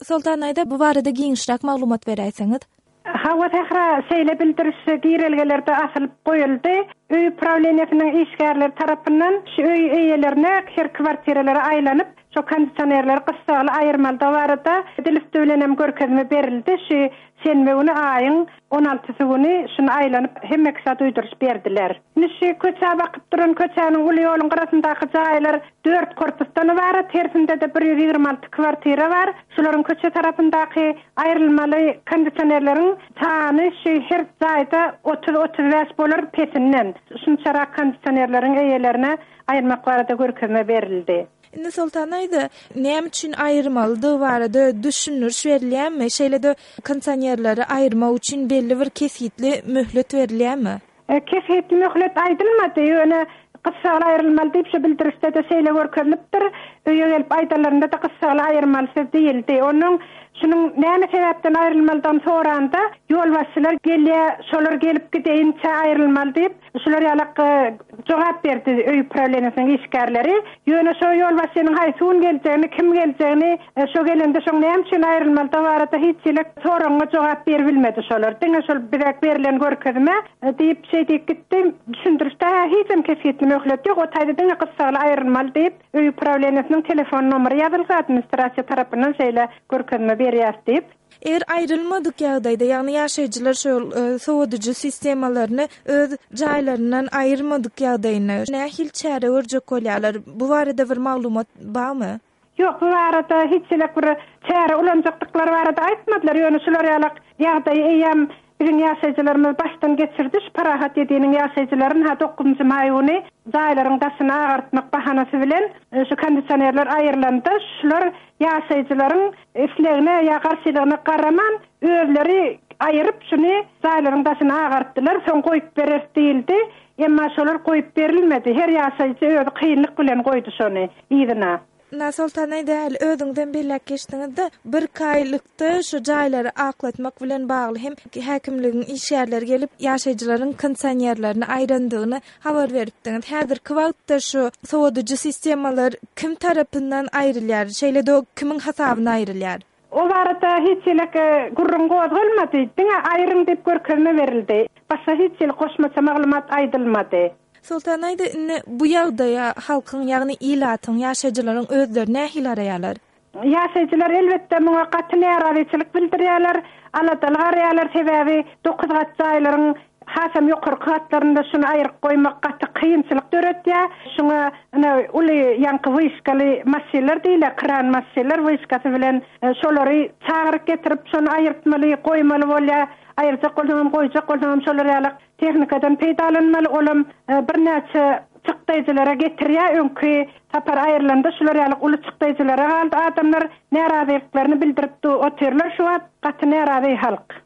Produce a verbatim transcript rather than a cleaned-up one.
Soltan aýda, bu barada giňişräk maglumat beräýseňiz. Hawa, Sähra, şeýle bildiriş girelgelerde asylyp goýuldy. Öý uprawleniýesiniň işgärleri tarapyndan şu öý eýelerine her kwartiralara aýlanyp, şo kondisionerleri gyssagly aýyrmalydygy barada dil üsti bilen hem görkezme berildi. Şu şenbe güni, aýyň on altysy güni şuny aýlanyp hemme kişä duýduryş berdiler. Indi şu köçä bakyp duran köçäniň uly ýoluň gyrasyndaky jaýlar dört korpusdan ybarat, hersinde-de bir ýüz ýigrimi alty kwartira bar. Şularyň köçe tarapyndaky aýrylmaly kondisionerleriň sany şu her jaýda otuz-otuz bäş bolar pesinden. Şunçarak kondisionerleriň eýelerine aýyrmak barada görkezme berildi. Indi Soltan aýda, näme üçin aýyrmalydygy barada düşündiriş berilýärmi? Şeýle-de kondisionerleri aýyrmak üçin belli bir kesgitli möhlet berilýärmi? E, kesgitli möhlet aýdylmady, ýöne gyssagly aýrylmaly diýip şu bildirişde-de şeýle görkezilipdir. Öýe gelip aýdanlarynda-da gyssagly aýyrmalysyz diýildi. Onuň şunuň näme sebäpden aýrylmalydygyny soranda ýolbaşçylar gelýär, şolar gelip gideýinçä aýrylmaly diýip, şular ýalak, e, jogap berdi öý uprawleniýesiniň işgärleri. Ýöne şo ýolbaşçynyň haýsy gün geljegini, kim geljegini, e, şo gelende şoň näme üçin aýrylmalydygy barada hiç hili soragyňa jogap berip bilmedi şolar. Diňe şol bize berlen görkezme, e, diýip şey diýip gitdi. Düşündirişde hiç hem kesgitli möhlet ýok. O taýda diňe gyssagly aýrylmaly diýip öý uprawleniýesiniň telefon nomeri ýazylgy administrasiýa tarapyndan şeýle görkezme berýär diýip. Eger aýrylmadyk ýagdaýda, ýagny ýaşaýjylar şol, e, sowadyjy sistemalaryny öz jaýlaryndan aýyrmadyk ýagdaýynda nähili çäre görjek bolýarlar? Bu barada bir maglumat barmy? Ýok, bu barada hiç hili bir çäre ulanjakdyklary barada aýtmadylar. Ýöne şular ýalak ýagdaýy eýýäm biziň ýaşaýjylarymyz başdan geçirdi. Şu Parahat ýediniň ýaşaýjylaryny ha dokuzynjy maý güni jaýlaryň daşyny agartmak bahanasy bilen, e, şu kondisionerler aýrylanda şular ýaşaýjylaryň islegine ýa garşylygyna garaman özleri aýyryp şuny jaýlaryň daşyny agartdylar. Soň goýup berer diýildi. Emma şolar goýup berilmedi. Her ýaşaýjy özi kynlyk bilen goýdy şony yzyna. Na Soltan aýda, äli özüňizden belläp geçdiňizde, bir aýlykda şu jaýlary aklatmak bilen bagly hem häkimligiň işgärleri gelip ýaşaýjylaryň kondisionerlerini aýrandygyny habar beripdiňiz. Häzirki wagtda şu sowadyjy sistemalar kim tarapyndan aýrylýar? Şeýle-de kimiň hasabyna aýrylýar? O barada hiç hili, e, gürrüň gozgalmady. Diňe aýryň diýip görkezme berildi. Başga hiç hili goşmaça maglumat aýdylmady. Soltan aýda, indi bu ýagdaýa halkyň, ýagny ilatyň, ýaşaýjylaryň özleri nähili araýarlar? Ýaşaýjylar elbetde muňa gaty närazyçylyk bildirýärler, aladaly garaýarlar, sebäbi dokuz gat jaýlaryň hasam ýokarky gatlarynda şuny aýryp goýmak gaty kynçylyk döretýär. Şuňa ine uly ýaňky wyşkaly maşynlar diýilýär, kran maşynlar wyşkasy bilen, e, şolary çagyryp getirip şony aýyrtmaly, goýmaly bolýar. Aýyrjak bolsaňam, goýjak bolsaňam şolar ýaly tehnikadan peýdalanmaly. Olam, e, birnäçe çykdaýjylara getirýär. Öňki sapar aýrylanda şular ýaly uly çykdaýjylara galdy. Adamlar närazylyklaryny bildirip otyrlar. Şu wagt gaty närazy halk.